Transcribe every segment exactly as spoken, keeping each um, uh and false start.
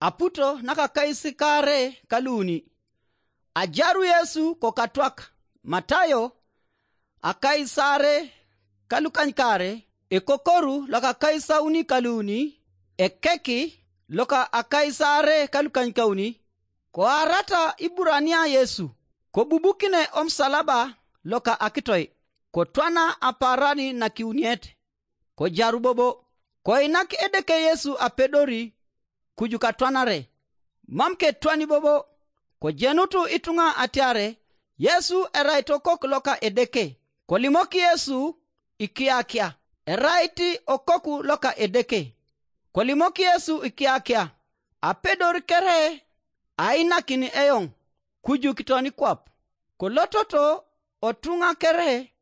aputo nakakaisikaare kaluuni. Ajaru Yesu kokatwak, Matayo, akaisare kalukanykaare, ekokoru lokakaisauni kaluuni, ekeki loka akaisare kalukanykauni. Koarata Iburania Yesu, kobubukine omusalaba loka akitoi, kotwana apaaran nakiuniet, kojaru bobo. Koinak Edeke Yesu apedori kuju katwanare, mam ketwani bobo. Kojenutu ituŋa atiare Yesu erai tokok loka Edeke. Kolimok Yesu ikiakia, erait okoku loka Edeke. Kolimok Yesu ikiakia, apedor kere ainakin eoŋ kuju kitoni kwap. Kolototo otuŋa kere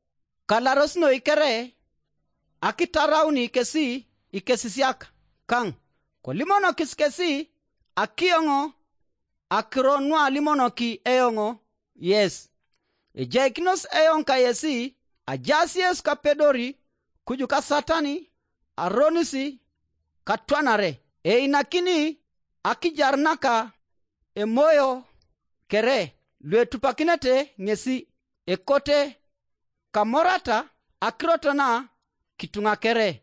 kalaros noi kere akitarauni kesi ikesisiak kaŋ, kolimonokis kesi akioŋ akiro nualimonoki eoŋ yes. Ejaikinos eoŋ kayesi, ajaas yes kapedori kuju kasatani aronis katwanare. Einakini akijar naka emoyo kere luetupakinete ŋesi, ekote kamorata akirot na kituŋa kere.